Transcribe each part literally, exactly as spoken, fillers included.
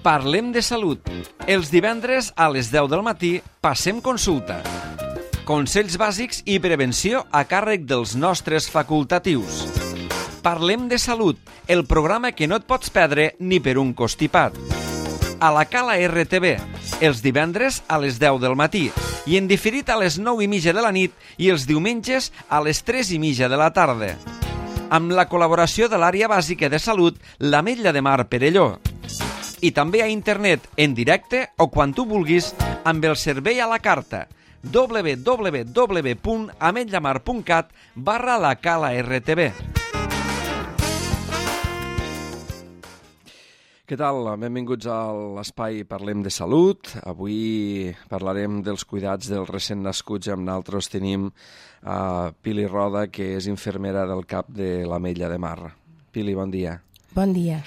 Parlem de salut. Els divendres a les deu del matí passem consulta. Consells bàsics i prevenció a càrrec dels nostres facultatius. Parlem de salut, el programa que no et pots perdre ni per un constipat. A la Cala R T V, els divendres a les deu del matí i en diferit a les nou i mitja de la nit i els diumenges a les tres i mitja de la tarda. Amb la col·laboració de l'àrea bàsica de salut, l'Ametlla de Mar Perelló. I també a internet, en directe o quan tu vulguis, amb el servei a la carta w w w punt ametllamar punt cat barra la Cala R T V. Què tal? Benvinguts a l'espai Parlem de Salut. Avui parlarem dels cuidats dels recent nascuts i amb nosaltres tenim a Pili Roda, que és infermera del C A P de l'Ametlla de Mar. Pili, bon dia. Bon dia.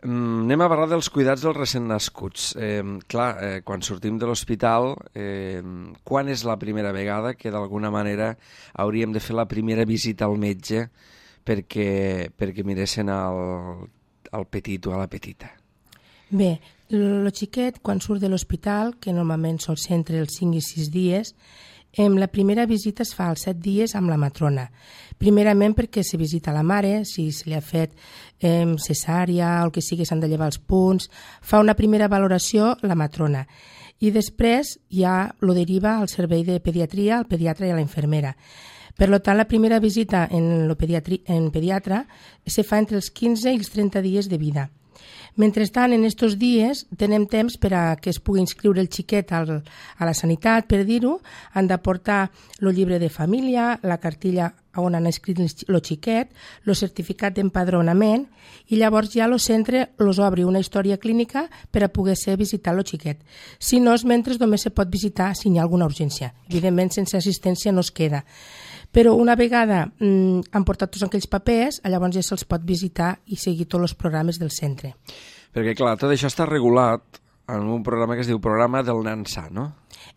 Mm, anem a parlar dels cuidats dels recent nascuts. Eh, clar, eh, quan sortim de l'hospital, eh, quan és la primera vegada que d'alguna manera hauríem de fer la primera visita al metge perquè, perquè miressin el, el petit o a la petita? Bé, el xiquet, quan surt de l'hospital, que normalment sol ser entre els cinc i sis dies, eh, la primera visita es fa als set dies amb la matrona. Primerament perquè se visita la mare, si se li ha fet eh, cesària o el que sigui, s'han de llevar els punts, fa una primera valoració la matrona. I després ja lo deriva al servei de pediatria, al pediatre i a la infermera. Per tant, la primera visita en, pediatri, en pediatra se fa entre els quinze i els trenta dies de vida. Mentrestant, en aquests dies, tenem temps per a que es pugui inscriure el xiquet al, a la sanitat, per dir-ho. Han de portar el llibre de família, la cartilla on han escrit el xiquet, el certificat d'empadronament, i llavors ja el centre els obri una història clínica per a poder ser visitar el xiquet. Si no, és mentre només se pot visitar si hi ha alguna urgència. Evidentment, sense assistència no es queda. Però una vegada mm, han portat tots aquells papers, llavors ja se'ls pot visitar i seguir tots els programes del centre. Perquè, clar, tot això està regulat en un programa que es diu Programa del Nen Sa, no?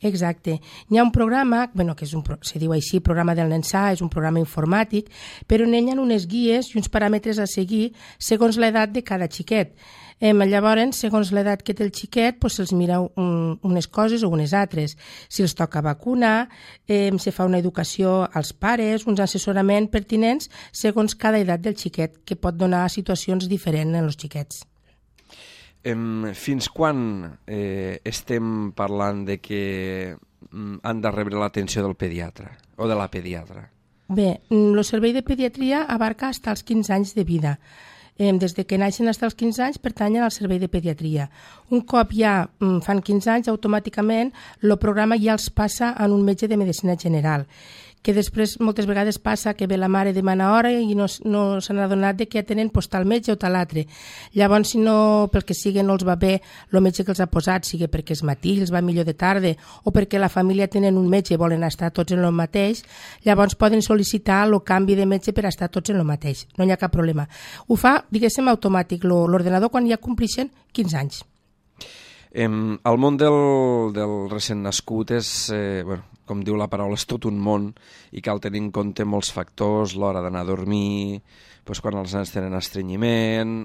Exacte. Hi ha un programa, bueno, que és un, se diu així, Programa del Nen Sa, és un programa informàtic, però en ell hi ha unes guies i uns paràmetres a seguir segons l'edat de cada xiquet. Eh, llavors, segons l'edat que té el xiquet, pues, se'ls mira un, unes coses o unes altres. Si els toca vacunar, eh, se fa una educació als pares, uns assessoraments pertinents segons cada edat del xiquet, que pot donar situacions diferents en els xiquets. Em, fins quan eh, estem parlant de que mm, han de rebre l'atenció del pediatre o de la pediatra? Bé, el servei de pediatria abarca fins als quinze anys de vida. Des de que naixen fins als quinze anys pertanyen al servei de pediatria. Un cop ja fan quinze anys, automàticament el programa ja els passa en un metge de medicina general, que després moltes vegades passa que ve la mare demana hora i no, no s'han adonat de que ja tenen pues, tal metge o tal altre. Llavors, si no, pel que sigui, no els va bé el metge que els ha posat, sigui perquè és matí, els va millor de tarda, o perquè la família tenen un metge i volen estar tots en el mateix, llavors poden sol·licitar el canvi de metge per estar tots en el mateix. No hi ha cap problema. Ho fa, diguéssim, automàtic, l'ordenador quan ja complixen quinze anys. Em, el món del, del recent nascut és, eh, bueno, com diu la paraula, és tot un món i cal tenir en compte molts factors, l'hora d'anar a dormir, doncs quan els nens tenen estrenyiment,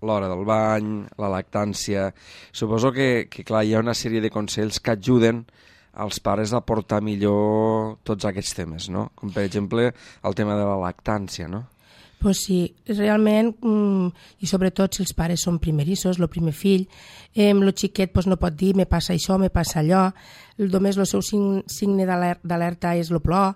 l'hora del bany, la lactància. Suposo que, que clar, hi ha una sèrie de consells que ajuden als pares a portar millor tots aquests temes, no? Com per exemple el tema de la lactància, no? Pues sí, realment, mm, i sobretot si els pares són primerissos, el primer fill, eh, el xiquet pues, no pot dir me passa això, me passa allò, només el seu signe d'alerta és el plor.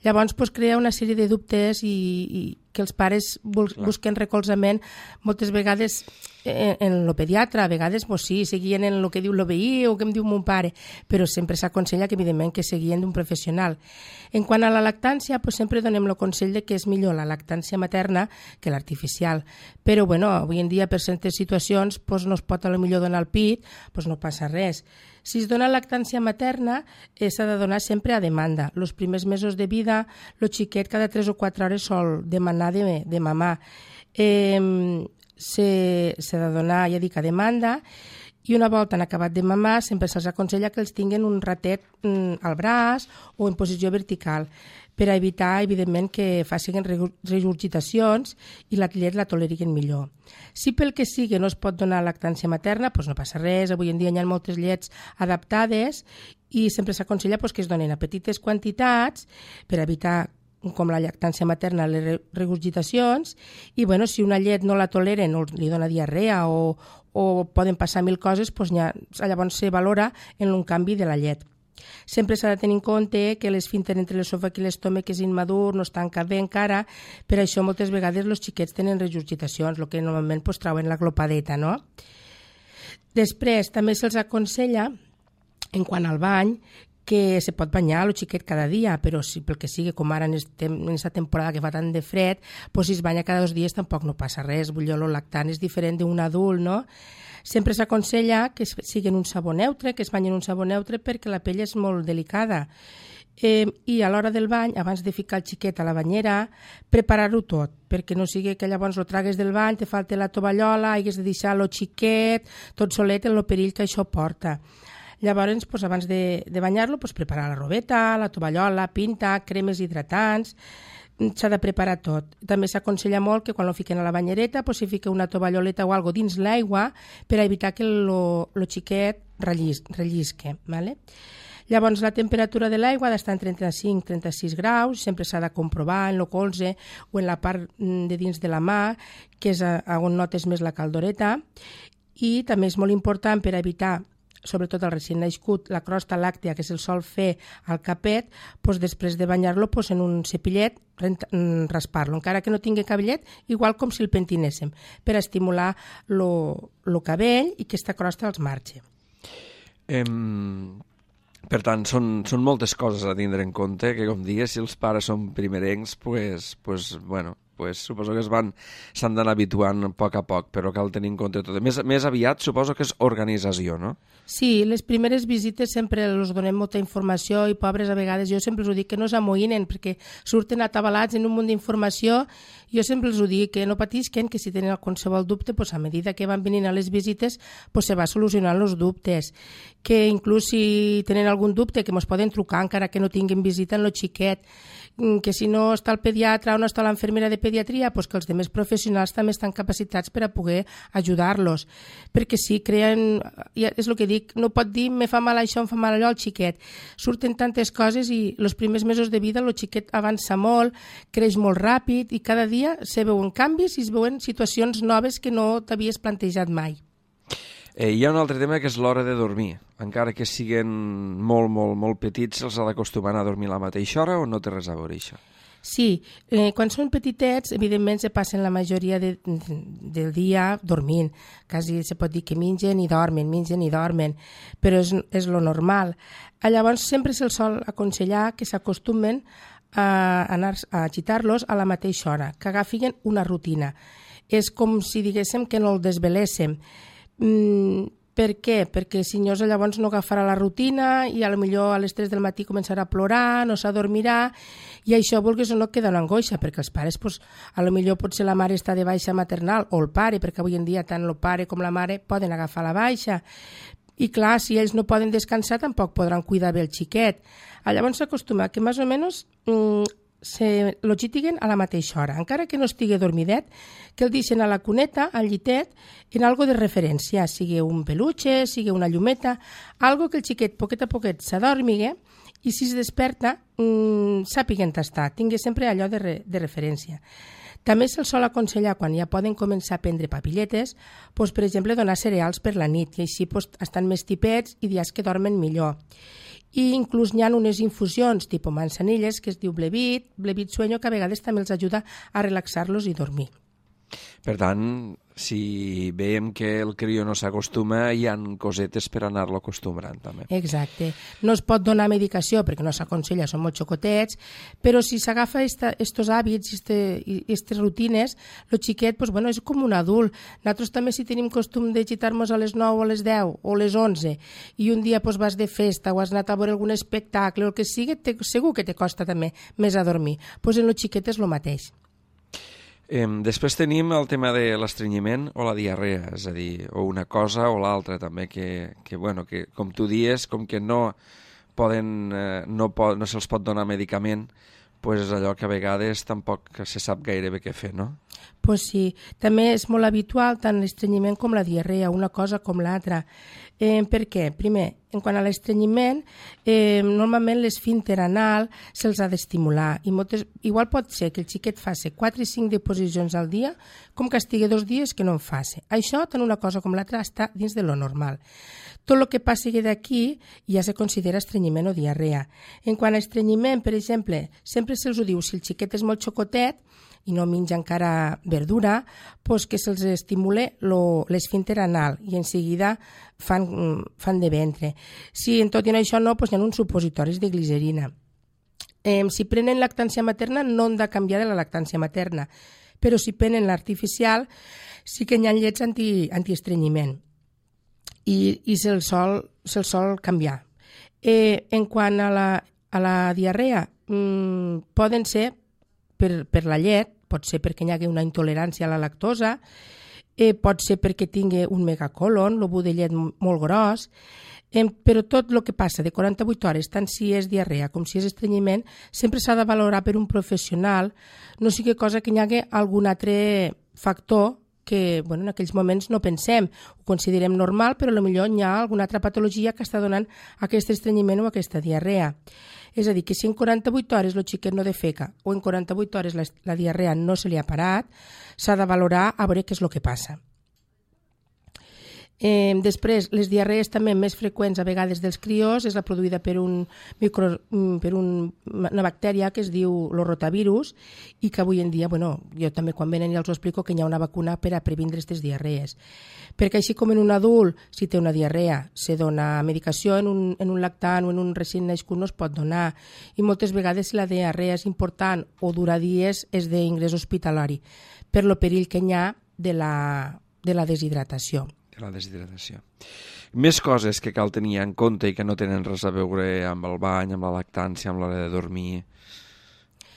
Llavors pues, crea una sèrie de dubtes i, i que els pares bus busquen recolzament moltes vegades en, en el pediatre, a vegades pues, sí, seguien en el que diu el veí o que em diu mon pare, però sempre s'aconsella que evidentment que seguien d'un professional. En quant a la lactància, pues, sempre donem el consell de que és millor la lactància materna que l'artificial, però bueno, avui en dia per certes situacions pues, no es pot a lo millor donar el pit, pues, no passa res. Si es dona lactància materna, eh, s'ha de donar sempre a demanda. Els primers mesos de vida, el xiquet cada tres o quatre hores sol demanar de, de mamar. Eh, s'ha de donar, ja dic, a demanda, I una volta han acabat de mamar, sempre se'ls aconsella que els tinguin un ratet mm, al braç o en posició vertical, per a evitar, evidentment, que facin regurgitacions i la llet la toleriguen millor. Si pel que sigui no es pot donar lactància materna, doncs no passa res. Avui en dia hi ha moltes llets adaptades i sempre s'aconsella doncs, que es donen a petites quantitats per evitar, com la lactància materna, les regurgitacions, i bueno, si una llet no la toleren o li dona diarrea o, o poden passar mil coses, doncs ja, llavors se valora en un canvi de la llet. Sempre s'ha de tenir en compte que l'esfínter entre l'esòfag i l'estómac és immadur, no es tanca bé encara, per això moltes vegades els xiquets tenen regurgitacions, el que normalment pues, trauen la glopadeta, no? Després, també se'ls aconsella, en quant al bany, que se pot banyar el xiquet cada dia, però si pel que sigui, com ara en aquesta temporada que fa tant de fred, pues, si es banya cada dos dies tampoc no passa res. Vull dir, el lactant és diferent d'un adult, no? Sempre s'aconsella que siguin un sabó neutre, que es banyin un sabó neutre perquè la pell és molt delicada. Eh, I a l'hora del bany, abans de ficar el xiquet a la banyera, preparar-ho tot, perquè no sigui que llavors lo tragues del bany, te falta la tovallola, hagués de deixar el xiquet, tot solet en el perill que això porta. Llavors, doncs, abans de, de banyar-lo, doncs, preparar la robeta, la tovallola, pinta, cremes hidratants, s'ha de preparar tot. També s'aconsella molt que quan lo fiquen a la banyereta doncs, s'hi fica una tovalloleta o algo dins l'aigua per a evitar que el xiquet rellis, rellisque. ¿Vale? Llavors, la temperatura de l'aigua ha d'estar en trenta-cinc a trenta-sis graus, sempre s'ha de comprovar en el colze o en la part de dins de la mà, que és on notes més la caldoreta, i també és molt important per evitar, sobretot el recient nascut, la crosta làctea que se'l sol fer al capet, doncs després de banyar-lo doncs en un cepillet raspar-lo, encara que no tingui cabellet, igual com si el pentinéssim, per estimular el cabell i que aquesta crosta els marxi. Eh, per tant, són, són moltes coses a tindre en compte, que com digues, si els pares són primerencs, pues, pues, bueno, pues, suposo que es van s'han d'anar habituant a poc a poc, però cal tenir en compte tot. Més, més aviat suposo que és organització, no? Sí, les primeres visites sempre els donem molta informació i pobres a vegades jo sempre els ho dic que no s'amoïnen perquè surten atabalats en un munt d'informació. Jo sempre els ho dic que no patisquen, que si tenen qualsevol dubte, pues, a medida que van venint a les visites pues, se va solucionant els dubtes, que inclús si tenen algun dubte que ens poden trucar encara que no tinguin visita en el xiquet, que si no està el pediatre o no està l'enfermera de pediatria, pues que els demés professionals també estan capacitats per a poder ajudar-los. Perquè si creen, és el que dic, no pot dir me fa mal això, em fa mal allò al xiquet. Surten tantes coses i els primers mesos de vida el xiquet avança molt, creix molt ràpid i cada dia se veuen canvis i es veuen situacions noves que no t'havies plantejat mai. Eh, hi ha un altre tema que és l'hora de dormir. Encara que siguin molt, molt, molt petits, se'ls ha d'acostumar a dormir a la mateixa hora o no té res a veure això? Sí, eh, quan són petitets, evidentment se passen la majoria de, del dia dormint. Quasi se pot dir que mengen i dormen, mengen i dormen, però és, és lo normal. Llavors sempre se'ls sol aconsellar que s'acostumen a, anar, a agitar-los a la mateixa hora, que agafin una rutina. És com si diguéssim que no el desveléssim. Mm, per què? Perquè si no, llavors no agafarà la rutina i a lo millor a les tres del matí començarà a plorar, no s'adormirà i això, vulguis o no, queda una angoixa perquè els pares, pues, a lo millor potser la mare està de baixa maternal o el pare, perquè avui en dia tant el pare com la mare poden agafar la baixa i clar, si ells no poden descansar tampoc podran cuidar bé el xiquet. Llavors s'acostuma que més o menys mm, se lo xitiguen a la mateixa hora, encara que no estigui dormidet, que el deixen a la cuneta, al llitet, en algo de referència, sigui un peluche, sigui una llumeta, algo que el xiquet poquet a poquet s'adormigue i si es desperta mmm, sàpiga on està, tingui sempre allò de, re, de referència. També se'ls sol aconsellar, quan ja poden començar a prendre papilletes, doncs, per exemple, donar cereals per la nit i així doncs, estan més tipets i dies que dormen millor. I inclús hi ha unes infusions tipus manzanilles que es diu Blevit, Blevit Sueño, que a vegades també els ajuda a relaxar-los i dormir. Per tant, si veiem que el crió no s'acostuma, hi ha cosetes per anar-lo acostumbrant també. Exacte. No es pot donar medicació perquè no s'aconsella, són molt xocotets, però si s'agafa estos hàbits i aquestes rutines, el xiquet pues, bueno, és com un adult. Nosaltres també si tenim costum de gitar-nos a les nou o a les deu o a les onze i un dia pues, vas de festa o has anat a veure algun espectacle o el que sigui, te, segur que te costa també més a dormir. Pues en el xiquet és el mateix. Eh, després tenim el tema de l'estrenyiment o la diarrea, és a dir, o una cosa o l'altra també, que, que, bueno, que com tu dies, com que no poden, eh, no, po no se'ls pot donar medicament, pues és allò que a vegades tampoc se sap gaire bé què fer, no? Pues sí, també és molt habitual tant l'estrenyiment com la diarrea, una cosa com l'altra. Eh, per què? Primer, en quant a l'estrenyiment, eh, normalment l'esfínter anal se'ls ha d'estimular i moltes, igual pot ser que el xiquet faci quatre i cinc deposicions al dia com que estigui dos dies que no en faci. Això, tant una cosa com l'altra, està dins de lo normal. Tot el que passi d'aquí ja se considera estrenyiment o diarrea. En quant a estrenyiment, per exemple, sempre se'ls ho diu, si el xiquet és molt xocotet i no menja encara verdura, doncs que se'ls estimule l'esfínter anal i en seguida fan, fan de ventre. Si en tot i això no, doncs hi ha uns supositoris de glicerina. Eh, si prenen lactància materna no han de canviar de la lactància materna, però si prenen l'artificial sí que hi ha llets anti, antiestrenyiment i, i se'l sol, se sol canviar. Eh, en quant a la, a la diarrea, mmm, poden ser per, per la llet, pot ser perquè hi hagi una intolerància a la lactosa, eh, pot ser perquè tingui un megacolon, l'obu de llet molt gros, eh, però tot el que passa de quaranta-vuit hores, tant si és diarrea com si és estrenyiment, sempre s'ha de valorar per un professional, no sigui cosa que hi hagi algun altre factor que bueno, en aquells moments no pensem, ho considerem normal, però potser hi ha alguna altra patologia que està donant aquest estrenyiment o aquesta diarrea. És a dir, que si en quaranta-vuit hores el xiquet no defeca o en quaranta-vuit hores la, la diarrea no se li ha parat, s'ha de valorar a veure què és el que passa. Eh, després, les diarrees també més freqüents a vegades dels criors és la produïda per, un micro, per un, una bactèria que es diu el rotavirus i que avui en dia, bueno, jo també quan venen ja els ho explico que hi ha una vacuna per a previndre aquestes diarrees. Perquè així com en un adult, si té una diarrea, se dona medicació, en un, en un lactant o en un recient nascut no es pot donar. I moltes vegades si la diarrea és important o dura dies és d'ingrés hospitalari per lo perill que hi ha de la, de la deshidratació. La deshidratació. Més coses que cal tenir en compte i que no tenen res a veure amb el bany, amb la lactància, amb l'hora de dormir.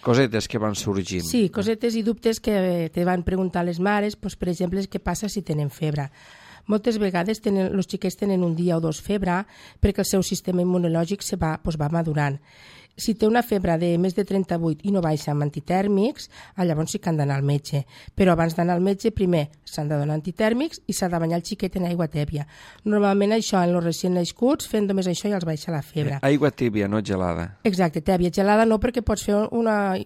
Cosetes que van sorgint. Sí, cosetes i dubtes que te van preguntar les mares, doncs, per exemple, què passa si tenen febre. Moltes vegades tenen, els xiquets tenen un dia o dos febre perquè el seu sistema immunològic se va, doncs, va madurant. Si té una febre de més de trenta-vuit i no baixa amb antitèrmics, llavors sí que han d'anar al metge. Però abans d'anar al metge, primer s'han de donar antitèrmics i s'ha de banyar el xiquet en aigua tèbia. Normalment això, en els recient nascuts, fent només això ja els baixa la febre. Eh, aigua tèbia, no gelada. Exacte, tèbia. Gelada no, perquè pots fer una,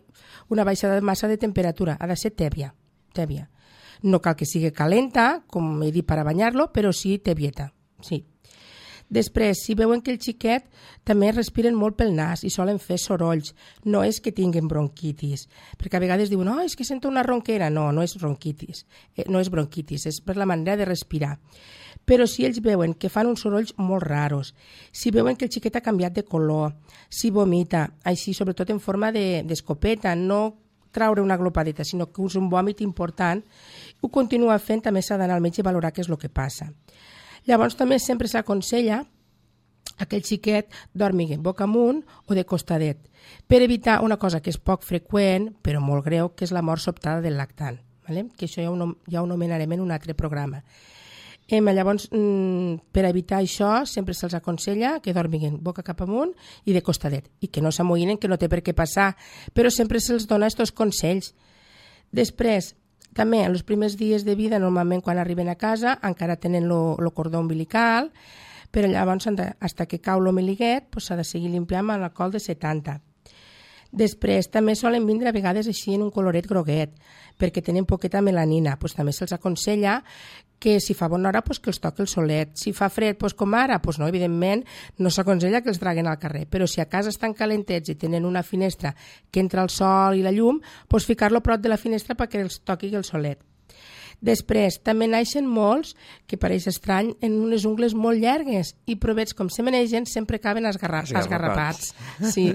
una baixada massa de temperatura. Ha de ser tèbia. tèbia. No cal que sigui calenta, com he dit, per a banyar-lo, però sí tèbieta. Sí. Després, si veuen que el xiquet també respiren molt pel nas i solen fer sorolls, no és que tinguin bronquitis, perquè a vegades diuen, oh, és que sento una ronquera. No, no és bronquitis, eh, no és bronquitis, és per la manera de respirar. Però si ells veuen que fan uns sorolls molt raros, si veuen que el xiquet ha canviat de color, si vomita, així sobretot en forma d'escopeta, de, no traure una glopadeta, sinó que usa un vòmit important, ho continua fent, també s'ha d'anar al metge i valorar què és el que passa. Llavors també sempre s'aconsella que aquell xiquet dormi boca amunt o de costadet, per evitar una cosa que és poc freqüent, però molt greu, que és la mort sobtada del lactant, ¿vale? Que això ja ho, ja ho nomenarem en un altre programa. Eh, llavors, per evitar això, sempre se'ls aconsella que dormiguin boca cap amunt i de costadet, i que no s'amoïnen, que no té per què passar, però sempre se'ls dona aquests consells. Després, també, en els primers dies de vida, normalment quan arriben a casa, encara tenen el cordó umbilical, però llavors, fins que cau l'omeliguet, s'ha de seguir limpiant amb alcohol de setanta. Després, també solen vindre a vegades així en un coloret groguet, perquè tenen poqueta melanina. Pues, també se'ls aconsella que si fa bona hora pues, que els toqui el solet. Si fa fred pues, com ara, pues, no, evidentment no s'aconsella que els traguen al carrer, però si a casa estan calentets i tenen una finestra que entra el sol i la llum, pues, ficar-lo prop de la finestra perquè els toqui el solet. Després, també naixen molts, que pareix estrany, en unes ungles molt llargues i provets com se menegen sempre acaben esgarra esgarrapats. Sí.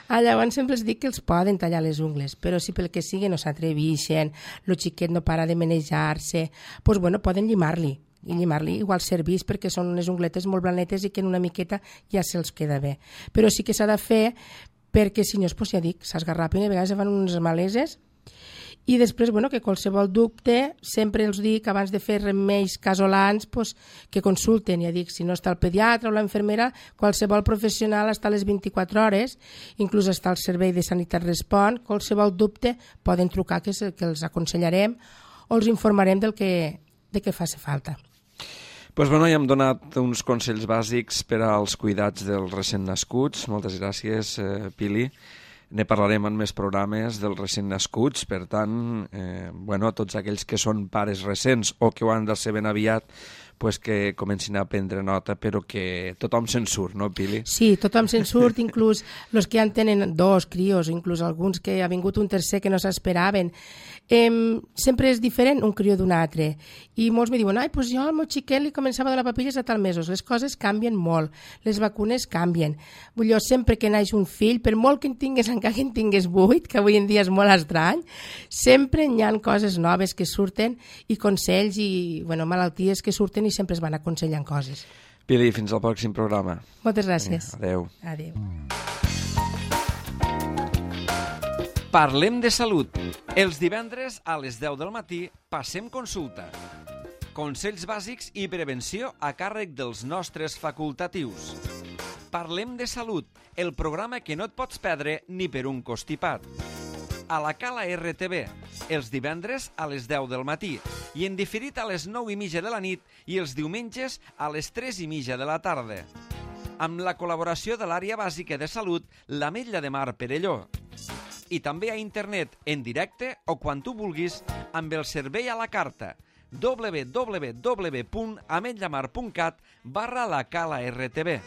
Ah, llavors sempre els dic que els poden tallar les ungles, però si pel que sigui no s'atreveixen, el xiquet no para de manejar-se, doncs bueno, poden llimar-li. I llimar-li igual serveix perquè són unes ungletes molt blanetes i que en una miqueta ja se'ls queda bé. Però sí que s'ha de fer perquè si no, doncs ja dic, s'esgarrapen i a vegades fan unes maleses. I després, bueno, que qualsevol dubte, sempre els dic, abans de fer remeis casolans, pues, que consulten. Ja dic, si no està el pediatre o la infermera, qualsevol professional està a les vint-i-quatre hores, inclús està el servei de Sanitat Respon, qualsevol dubte poden trucar, que, que els aconsellarem o els informarem del que, de què faci falta. Pues bueno, ja hem donat uns consells bàsics per als cuidats dels recent nascuts. Moltes gràcies, eh, Pili. Ne parlarem en més programes dels recent nascuts, per tant, eh, bueno, tots aquells que són pares recents o que ho han de ser ben aviat, pues que comencin a prendre nota, però que tothom se'n surt, no, Pili? Sí, tothom se'n surt, inclús els que ja en tenen dos crios, inclús alguns que ha vingut un tercer que no s'esperaven. Eh, sempre és diferent un crió d'un altre. I molts me diuen, ai, doncs jo al meu xiquet li començava a donar papilles a tal mesos. Les coses canvien molt, les vacunes canvien. Vull dir, sempre que naix un fill, per molt que en tingues, encara que en tingues vuit, que avui en dia és molt estrany, sempre hi ha coses noves que surten i consells i bueno, malalties que surten i sempre es van aconsellant coses. Pili, fins al pròxim programa. Moltes gràcies. Adéu. Adéu. Parlem de salut. Els divendres a les deu del matí passem consulta. Consells bàsics i prevenció a càrrec dels nostres facultatius. Parlem de salut, el programa que no et pots perdre ni per un costipat. A la Cala R T V, els divendres a les deu del matí i en diferit a les nou i mitja de la nit i els diumenges a les tres i mitja de la tarda. Amb la col·laboració de l'àrea bàsica de salut, l'Ametlla de Mar Perelló. I també a internet, en directe o quan tu vulguis, amb el servei a la carta w w w punt ametlamar punt cat barra la Cala R T V.